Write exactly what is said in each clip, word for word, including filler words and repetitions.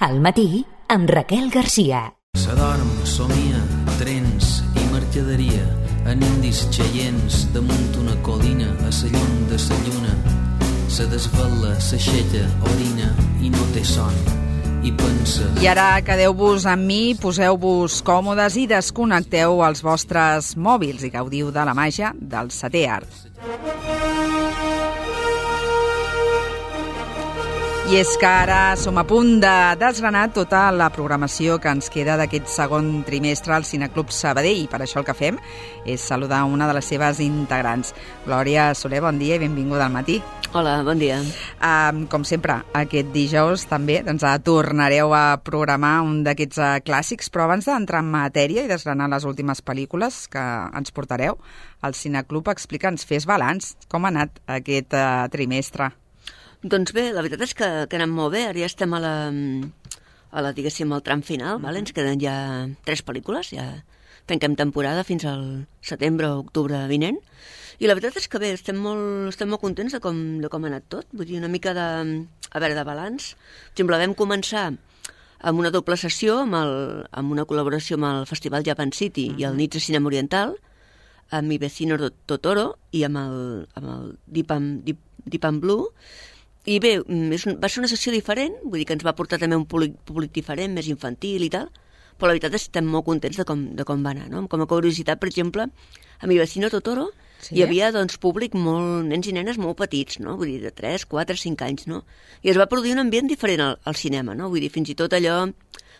Al matí, amb Raquel Garcia. S'adorm, somia, trens i mercaderia en indis xeients damunt una colina a la llum de la lluna. Se desvela, s'aixeca, orina i no té son. I pensa... I ara quedeu-vos amb mi, poseu-vos còmodes i desconnecteu els vostres mòbils i gaudiu de la màgia del setè art. I és que ara som a punt de desgranar tota la programació que ens queda d'aquest segon trimestre al Cineclub Sabadell, i per això el que fem és saludar una de les seves integrants. Glòria Soler, bon dia i benvinguda al matí. Hola, bon dia. Um, com sempre, aquest dijous també doncs, tornareu a programar un d'aquests uh, clàssics, però abans d'entrar en matèria i desgranar les últimes pel·lícules que ens portareu al Cineclub, explica'ns, fes balanç, com ha anat aquest uh, trimestre? Doncs bé, la veritat és que, que anem molt bé. Ara ja estem a la, a la diguéssim, al tram final, mm-hmm. vale? Ens queden ja tres pel·lícules, ja tanquem temporada fins al setembre o octubre vinent. I la veritat és que bé, estem molt, estem molt contents de com, de com ha anat tot. Vull dir, una mica de, a veure, de balanç. Per exemple, vam començar amb una doble sessió, amb, el, amb una col·laboració amb el Festival Japan City mm-hmm. i el Nits de Cinema Oriental, amb Mi Vecino Totoro i amb el, amb el Deep and, Deep, Deep and Blue. I bé, és un, va ser una sessió diferent, vull dir que ens va portar també un públic, públic diferent, més infantil i tal, però la veritat és que estem molt contents de com, de com va anar, no? Com a curiositat, per exemple, a Mi Vecino Totoro sí. hi havia doncs, públic molt, nens i nenes molt petits, no? Vull dir, de tres, quatre, cinc anys, no? I es va produir un ambient diferent al, al cinema, no? Vull dir, fins i tot allò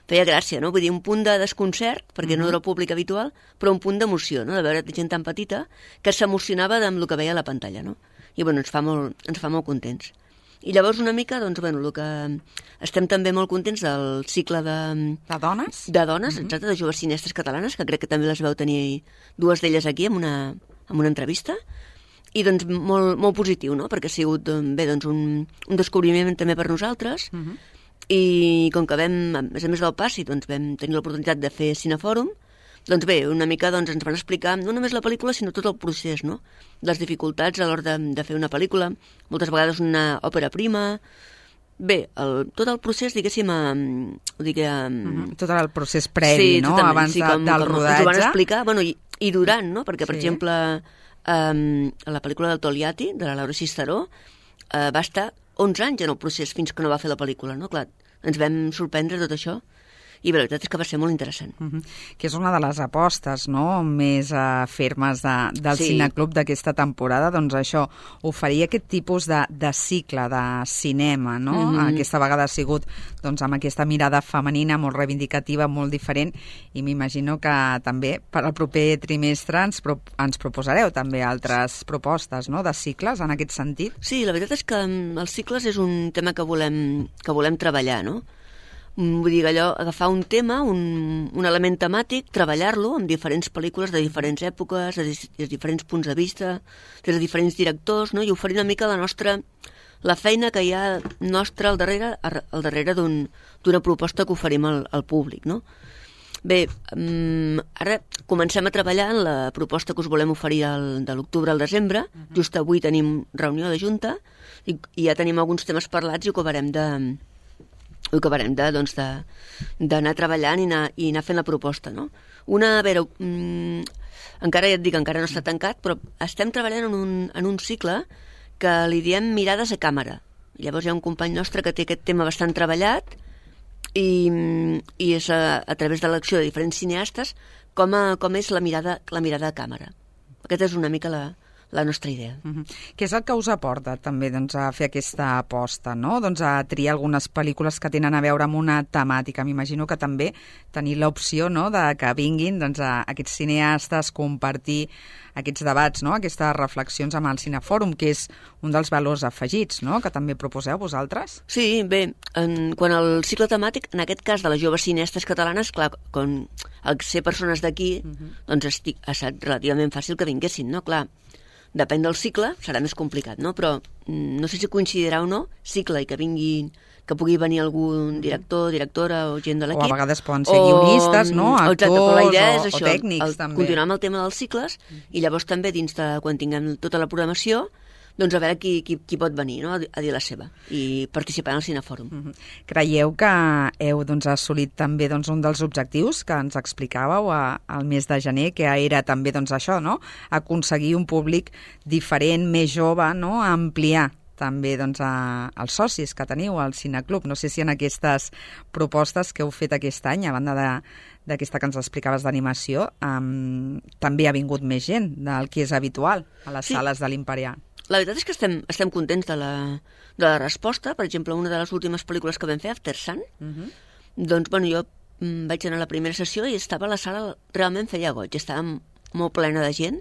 feia gràcia, no? Vull dir, un punt de desconcert, perquè mm-hmm. no era el públic habitual, però un punt d'emoció, no? De veure gent tan petita que s'emocionava amb el que veia a la pantalla, no? I bueno, ens fa molt, ens fa molt contents. I llavors una mica, doncs, bueno, el que estem també molt contents del cicle de... De dones? De dones, mm-hmm. exacte, de joves cineastes catalanes, que crec que també les veu tenir dues d'elles aquí en una, en una entrevista, i doncs molt, molt positiu, no?, perquè ha sigut, bé, doncs, un, un descobriment també per nosaltres, mm-hmm. i com que vam, a més a més del passi, doncs vam tenir l'oportunitat de fer Cinefòrum, doncs bé, una mica doncs, ens van explicar no només la pel·lícula, sinó tot el procés, no? Les dificultats a l'hora de, de fer una pel·lícula, moltes vegades una òpera prima. Bé, el, tot el procés, diguéssim, eh, diguem... Mm-hmm. Tot el procés previ, sí, no? Abans sí, com, del com rodatge. Ens ho van explicar, bueno, i, i durant, no? Perquè, per sí. exemple, eh, la pel·lícula del Togliatti, de la Laura Cisteró, eh, va estar onze anys en el procés fins que no va fer la pel·lícula, no? Clar, ens vam sorprendre tot això. I la veritat és que va ser molt interessant. Uh-huh. Que és una de les apostes, no?, més uh, fermes de, del sí. Cineclub d'aquesta temporada, doncs això, oferir aquest tipus de, de cicle de cinema, no? Uh-huh. Aquesta vegada ha sigut doncs, amb aquesta mirada femenina molt reivindicativa, molt diferent, i m'imagino que també per al proper trimestre ens, pro ens proposareu també altres propostes, no?, de cicles en aquest sentit. Sí, la veritat és que els cicles és un tema que volem, que volem treballar, no? Vull dir, allò, agafar un tema, un, un element temàtic, treballar-lo amb diferents pel·lícules de diferents èpoques, de, de diferents punts de vista, des de diferents directors, no? I oferir una mica la nostra, la feina que hi ha nostra al darrere, al darrere d'una un, proposta que oferim al, al públic, no? Bé, um, ara comencem a treballar en la proposta que us volem oferir el, de l'octubre al desembre. Uh-huh. Just avui tenim reunió de junta i, i ja tenim alguns temes parlats i ho acabarem de... ho acabarem de, doncs, d'anar treballant i anar, i anar fent la proposta, no? Una, a veure, mm, encara ja et dic, encara no està tancat, però estem treballant en un, en un cicle que li diem mirades a càmera. Llavors hi ha un company nostre que té aquest tema bastant treballat i, i és a, a través de l'acció de diferents cineastes com, a, com és la mirada, la mirada a càmera. Aquesta és una mica la... la nostra idea. Uh-huh. Què és el que us aporta també doncs, a fer aquesta aposta, no? Doncs a triar algunes pel·lícules que tenen a veure amb una temàtica. M'imagino que també tenir l'opció, no?, de que vinguin doncs, a aquests cineastes, compartir aquests debats, no?, aquestes reflexions amb el Cinefòrum, que és un dels valors afegits, no?, que també proposeu vosaltres. Sí, bé, en, quan el cicle temàtic, en aquest cas de les joves cineastes catalanes, clar, quan al ser persones d'aquí, uh-huh. doncs estic, ha estat relativament fàcil que vinguessin, no? Clar, depèn del cicle, serà més complicat, no? Però no sé si coincidirà o no, cicle i que vinguin, que pugui venir algun director, directora o gent de l'equip. O a vegades poden ser guionistes, no? Actors, exacte, però la idea és o, això, o tècnics, el, també. Continuar amb el tema dels cicles i llavors també dins de, quan tinguem tota la programació, doncs a veure qui, qui, qui pot venir, no?, a dir la seva i participar en el Cinefòrum. Mm-hmm. Creieu que heu doncs, assolit també doncs, un dels objectius que ens explicàveu a, al mes de gener, que era també doncs, això, no?, aconseguir un públic diferent, més jove, no?, ampliar també doncs, a, als socis que teniu al Cineclub. No sé si en aquestes propostes que heu fet aquest any, a banda de, d'aquesta que ens explicaves d'animació, um, també ha vingut més gent del que és habitual a les sí. sales de l'Imperial. La veritat és que estem, estem contents de la, de la resposta. Per exemple, una de les últimes pel·lícules que vam fer, After Sun, uh-huh. doncs, bueno, jo mm, vaig anar a la primera sessió i estava a la sala, realment feia goig, estava molt plena de gent.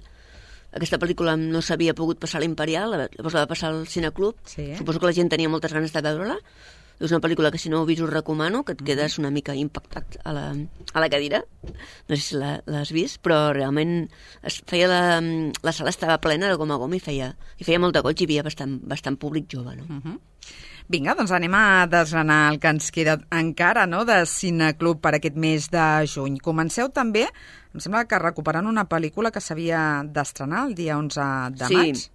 Aquesta pel·lícula no s'havia pogut passar a l'Imperial, llavors la va passar al Cineclub. Sí. Suposo que la gent tenia moltes ganes de veure-la. És una pel·lícula que si no heu vist us recomano, que et quedes una mica impactat a la, a la cadira. No sé si la, l'has vist, però realment es feia la, la sala estava plena de gom a gom i feia, i feia molt de goig i hi havia bastant, bastant públic jove. No? Uh-huh. Vinga, doncs anem a desgranar el que ens queda encara, no?, de Cineclub per aquest mes de juny. Comenceu també, em sembla que recuperant una pel·lícula que s'havia d'estrenar el dia onze de sí. maig.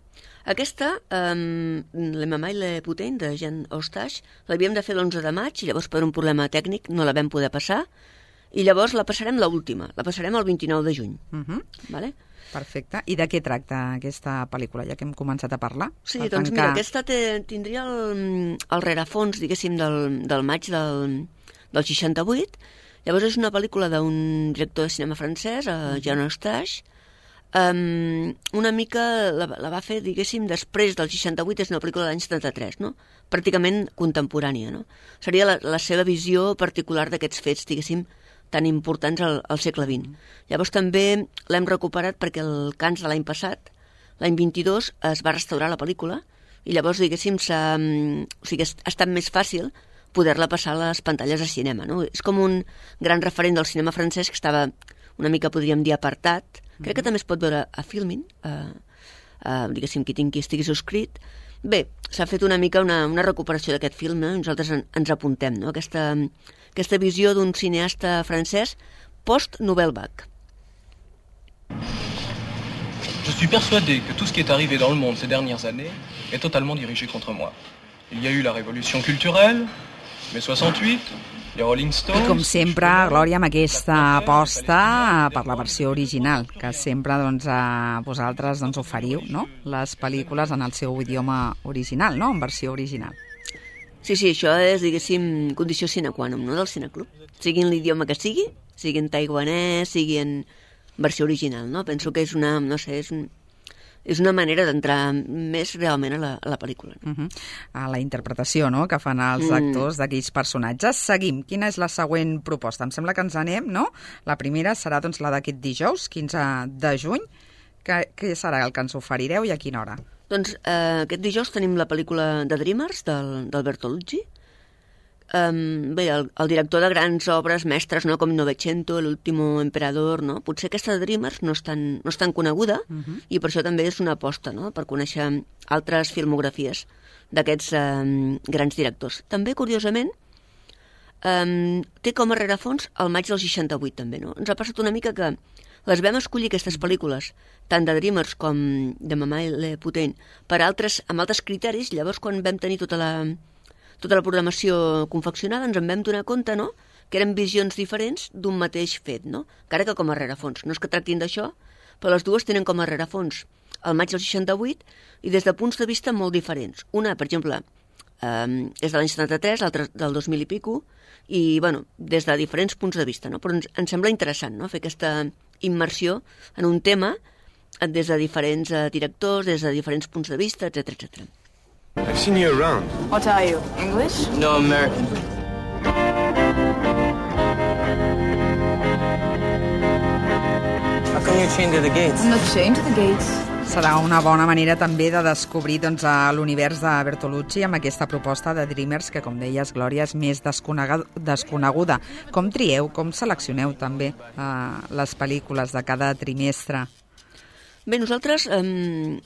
Aquesta, um, Le Mamà i Le Putain, de Jean Eustache, l'havíem de fer l'onze de maig i llavors per un problema tècnic no la vam poder passar i llavors la passarem l'última, la passarem el vint-i-nou de juny. Uh-huh. Vale? Perfecte. I de què tracta aquesta pel·lícula, ja que hem començat a parlar? Sí, doncs tancar... mira, aquesta te, tindria el, el rerefons, diguéssim, del, del maig del, del seixanta-vuit. Llavors és una pel·lícula d'un director de cinema francès, uh, Jean Eustache. Um, una mica la, la va fer, diguéssim, després del seixanta-vuit, és una pel·lícula de l'any setanta-tres, no? Pràcticament contemporània, no? Seria la, la seva visió particular d'aquests fets, diguéssim, tan importants al, al segle vint. Llavors també l'hem recuperat perquè el Cans de l'any passat, l'any vint-i-dos, es va restaurar la pel·lícula i llavors, diguéssim, s'ha, o sigui, ha estat més fàcil poder-la passar a les pantalles de cinema. No? És com un gran referent del cinema francès que estava una mica, podríem dir, apartat. Crec que també es pot veure a Filmin, a, a, diguéssim, qui tingui estigui subscrit. Bé, s'ha fet una mica una, una recuperació d'aquest film, no? Nosaltres en, ens apuntem, no? Aquesta, aquesta visió d'un cineasta francès post-Nouvelle Vague. Je suis persuadé que tout ce qui est arrivé dans le monde ces dernières années est totalement dirigé contre moi. Il y a eu la révolution culturelle, mai soixante-huit, les Rolling Stones... I com sempre, Glòria, amb aquesta aposta per la versió original, que sempre doncs, a vosaltres doncs, oferiu, no?, les pel·lícules en el seu idioma original, no?, en versió original. Sí, sí, això és, diguéssim, condició sine qua non, no?, del Cineclub. Sigui en l'idioma que sigui, sigui en taiwanès, sigui en versió original, no? Penso que és una, no sé, és, un, és una manera d'entrar més realment a la, a la pel·lícula. No? Uh-huh. A la interpretació, no?, que fan els mm. actors d'aquells personatges. Seguim. Quina és la següent proposta? Em sembla que ens anem, no? La primera serà doncs, la d'aquest dijous, quinze de juny. Què, què serà el que ens oferireu i a quina hora? Doncs eh, aquest dijous tenim la pel·lícula de Dreamers, del, del Bertolucci. Um, bé, el, el director de grans obres mestres, no?, com Novecento, L'último emperador, no? Potser aquesta de Dreamers no és tan, no és tan coneguda uh-huh. i per això també és una aposta, no?, per conèixer altres filmografies d'aquests um, grans directors. També, curiosament, um, té com a rerefons el maig del seixanta-vuit, també, no? Ens ha passat una mica que les vam escollir, aquestes pel·lícules, tant de Dreamers com de Mamà i Le Putain, per altres, amb altres criteris. Llavors, quan vam tenir tota la, tota la programació confeccionada, ens en vam donar compte, no?, que eren visions diferents d'un mateix fet, no? Encara que com a rerefons. No és que tractin d'això, però les dues tenen com a rerefons el maig del seixanta-vuit i des de punts de vista molt diferents. Una, per exemple, eh, és de l'any setanta-tres, l'altra del dos mil i pico, i, bueno, des de diferents punts de vista, no? Però ens, ens sembla interessant, no?, fer aquesta immersió en un tema des de diferents uh, directors, des de diferents punts de vista, etcètera, etcètera. I've seen you around. What are you, English? No, American. How come you're chained to the gates? I'm not chained to the gates. Serà una bona manera també de descobrir doncs, l'univers de Bertolucci amb aquesta proposta de Dreamers que, com deies, Glòria, és més desconeguda. Com trieu, com seleccioneu també eh, les pel·lícules de cada trimestre? Bé, nosaltres, eh,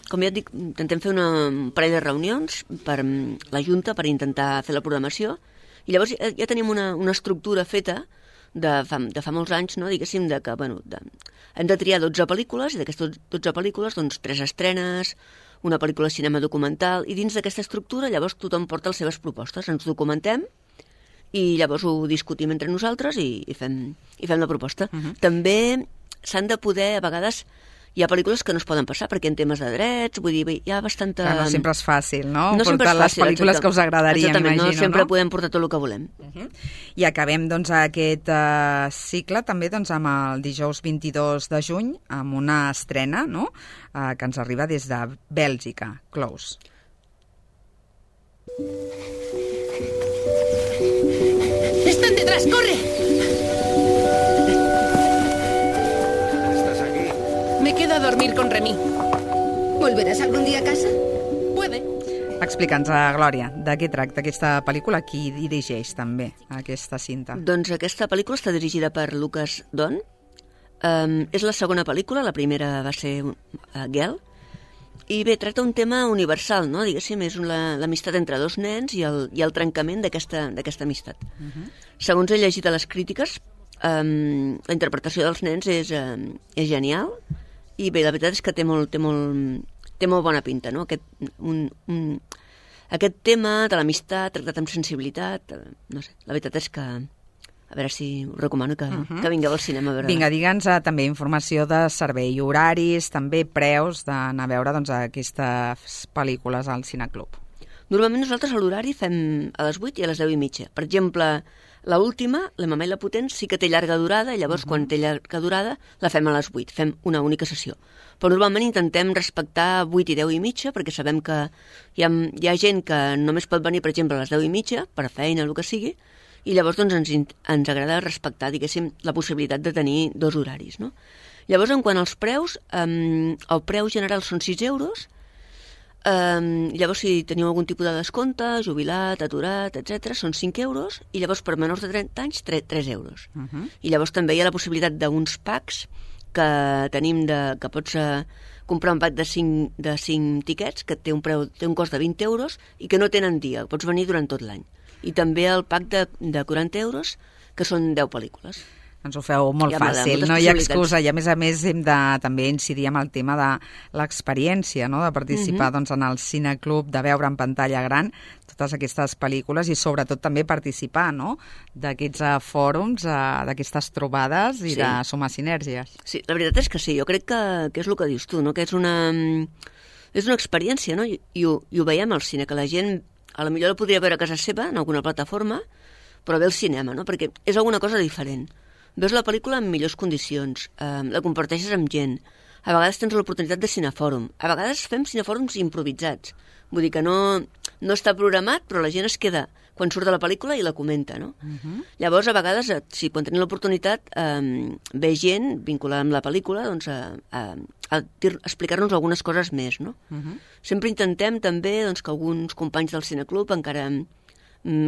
com ja et dic, intentem fer una, un parell de reunions per la Junta per intentar fer la programació i llavors ja, ja tenim una, una estructura feta de fa, de fa molts anys, no? Diguéssim, de que, bueno, de, hem de triar dotze pel·lícules i d'aquestes dotze pel·lícules, doncs, tres estrenes, una pel·lícula de cinema documental, i dins d'aquesta estructura llavors tothom porta les seves propostes, ens documentem i llavors ho discutim entre nosaltres i, i, fem, i fem la proposta. Uh-huh. També s'han de poder, a vegades, hi ha pel·lícules que no es poden passar perquè en temes de drets, vull dir, hi ha bastanta... Que no sempre és fàcil, no? No sempre és fàcil, les pel·lícules exacte. que us agradarien, Exactament, imagino, no sempre no? podem portar tot el que volem. Uh-huh. I acabem, doncs, aquest uh, cicle també doncs, amb el dijous vint-i-dos de juny, amb una estrena, no?, uh, que ens arriba des de Bèlgica, Close. ¡Están detrás! ¡Corre! ¿Estás aquí? Me quedo a dormir con Remy. ¿Volverás algún día a casa? Puede. Explica'ns, uh, Glòria, de què tracta aquesta pel·lícula, qui dirigeix també aquesta cinta? Doncs aquesta pel·lícula està dirigida per Lucas Don. Um, és la segona pel·lícula, la primera va ser uh, Girl, i bé, tracta un tema universal, no? Diguéssim, és l'amistat entre dos nens i el, i el trencament d'aquesta amistat. Uh-huh. Segons he llegit a les crítiques, um, la interpretació dels nens és, um, és genial, i bé, la veritat és que té molt, té molt, té molt bona pinta, no? Aquest, un, un, aquest tema de l'amistat tractat amb sensibilitat, no sé, la veritat és que a veure si us recomano que, uh-huh. que vingueu al cinema a veure. Vinga, digue'ns uh, també informació de servei, horaris, també preus d'anar a veure doncs, aquestes pel·lícules al Cineclub. Normalment nosaltres a l'horari fem a les vuit i a les deu i mitja. Per exemple, la última, La Mamà i la Potent, sí que té llarga durada, i llavors uh-huh. quan té llarga durada la fem a les vuit, fem una única sessió. Però normalment intentem respectar vuit i deu i mitja, perquè sabem que hi ha, hi ha gent que només pot venir, per exemple, a les deu i mitja, per feina, el que sigui, i llavors doncs, ens, ens agrada respectar, diguéssim, la possibilitat de tenir dos horaris, no? Llavors, en quant als preus, um, el preu general són sis euros, um, llavors si teniu algun tipus de descompte, jubilat, aturat, etcètera, són cinc euros, i llavors per menors de trenta anys, tres euros. Uh-huh. I llavors també hi ha la possibilitat d'uns packs que tenim, de, que pots uh, comprar un pack de cinc, de cinc tiquets, que té un, preu, té un cost de vint euros, i que no tenen dia, pots venir durant tot l'any. I també el pack de, de quaranta euros, que són deu pel·lícules. Ens ho feu molt fàcil, no hi ha excusa, i a més a més hem de també incidir amb el tema de l'experiència, no?, de participar uh-huh. doncs, en el Cineclub, de veure en pantalla gran totes aquestes pel·lícules i sobretot també participar, no?, d'aquests uh, fòrums, uh, d'aquestes trobades i sí. de sumar sinergies. Sí, la veritat és que sí, jo crec que, que és el que dius tu, no?, que és una, és una experiència, no?, I, i, ho, i ho veiem al cine, que la gent a la millor la podria veure a casa seva, en alguna plataforma, però ve al cinema, no?, perquè és alguna cosa diferent. Veus la pel·lícula en millors condicions, eh, la comparteixes amb gent, a vegades tens l'oportunitat de cinefòrum, a vegades fem cinefòrums improvisats, vull dir que no, no està programat, però la gent es queda quan surt de la pel·lícula i la comenta, no? Uh-huh. Llavors, a vegades, si quan tenim l'oportunitat, eh, ve gent vinculada amb la pel·lícula, doncs, a, a, a, a explicar-nos algunes coses més, no? Uh-huh. Sempre intentem també doncs, que alguns companys del Cineclub encara,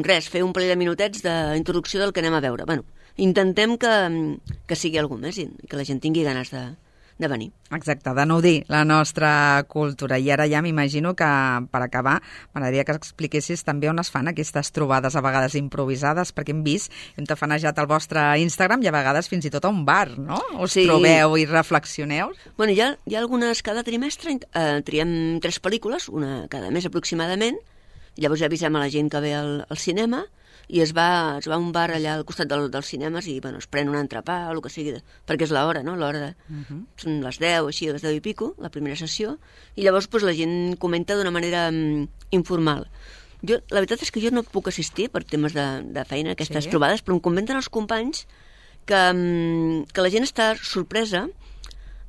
res, fer un parell de minutets d'introducció del que anem a veure. Bueno, intentem que, que sigui algú més i que la gent tingui ganes de, de venir. Exacte, de nodrir la nostra cultura. I ara ja m'imagino que, per acabar, m'agradaria que expliquessis també on es fan aquestes trobades, a vegades improvisades, perquè hem vist, hem tafanejat el vostre Instagram i a vegades fins i tot a un bar, no? Us sí. trobeu i reflexioneu? Bueno, hi ha, hi ha algunes cada trimestre, eh, triem tres pel·lícules, una cada mes aproximadament, llavors ja avisem a la gent que ve al, al cinema, i es va, es va a un bar allà al costat del, dels cinemes i bueno, es pren un entrepà o el que sigui, perquè és l'hora, no? L'hora de... Uh-huh. Són les deu, així, les deu i pico, la primera sessió, i llavors pues, la gent comenta d'una manera um, informal. Jo, la veritat és que jo no puc assistir per temes de, de feina a aquestes sí. trobades, però em comenten els companys que, um, que la gent està sorpresa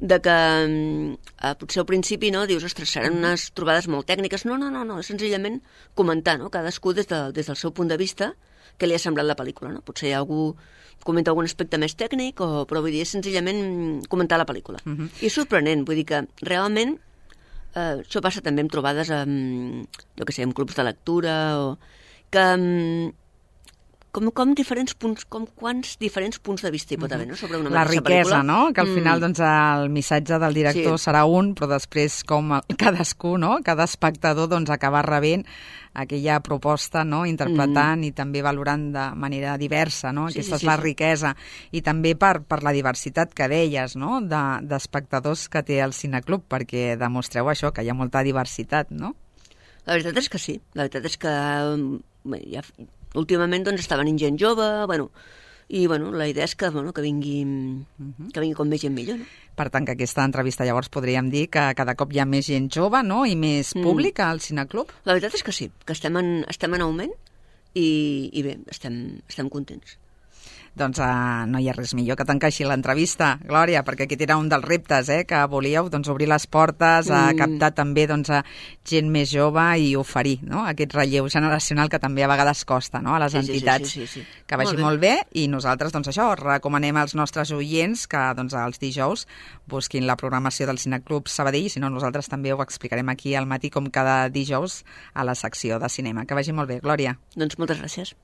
de que eh, potser al principi no, dius, ostres, seran unes trobades molt tècniques. No, no, no, no, és senzillament comentar, no? Cadascú des, de, des del seu punt de vista què li ha semblat la pel·lícula, no? Potser algú comenta algun aspecte més tècnic, o, però vull dir, és senzillament comentar la pel·lícula. Uh-huh. I és sorprenent, vull dir que realment eh, això passa també amb trobades amb, jo què sé, amb clubs de lectura, o que, com, com diferents punts, com quants diferents punts de vista hi pot haver, no?, sobre una la mateixa riquesa, pel·lícula. no?, que al Mm. final doncs, el missatge del director Sí. serà un, però després com cadascú, no?, cada espectador doncs, acaba rebent aquella proposta, no?, interpretant mm. i també valorant de manera diversa, no? Sí, Aquesta sí, és la sí, sí. riquesa. I també per, per la diversitat que deies, no?, de, d'espectadors que té el Cineclub, perquè demostreu això, que hi ha molta diversitat, no? La veritat és que sí. La veritat és que bé, ja, últimament doncs, està venint gent jove, bueno, i bueno, la idea és que, bueno, que, vingui, que vingui com més gent millor, no? Per tant, que aquesta entrevista llavors podríem dir que cada cop hi ha més gent jove, no?, i més públic al Cineclub. La veritat és que sí, que estem en, estem en augment i, i bé, estem, estem contents. Doncs uh, no hi ha res millor que tancar així l'entrevista, Glòria, perquè aquest era un dels reptes, eh, que volíeu, doncs, obrir les portes, a Mm. captar també doncs, a gent més jove i oferir, no?, aquest relleu generacional que també a vegades costa, no?, a les Sí, sí, sí, entitats. sí, sí, sí. Que vagi molt bé. molt bé i nosaltres, doncs això, recomanem als nostres oients que doncs, els dijous busquin la programació del Cineclub Sabadell, i si no, nosaltres també ho explicarem aquí al matí com cada dijous a la secció de cinema. Que vagi molt bé, Glòria. Doncs moltes gràcies.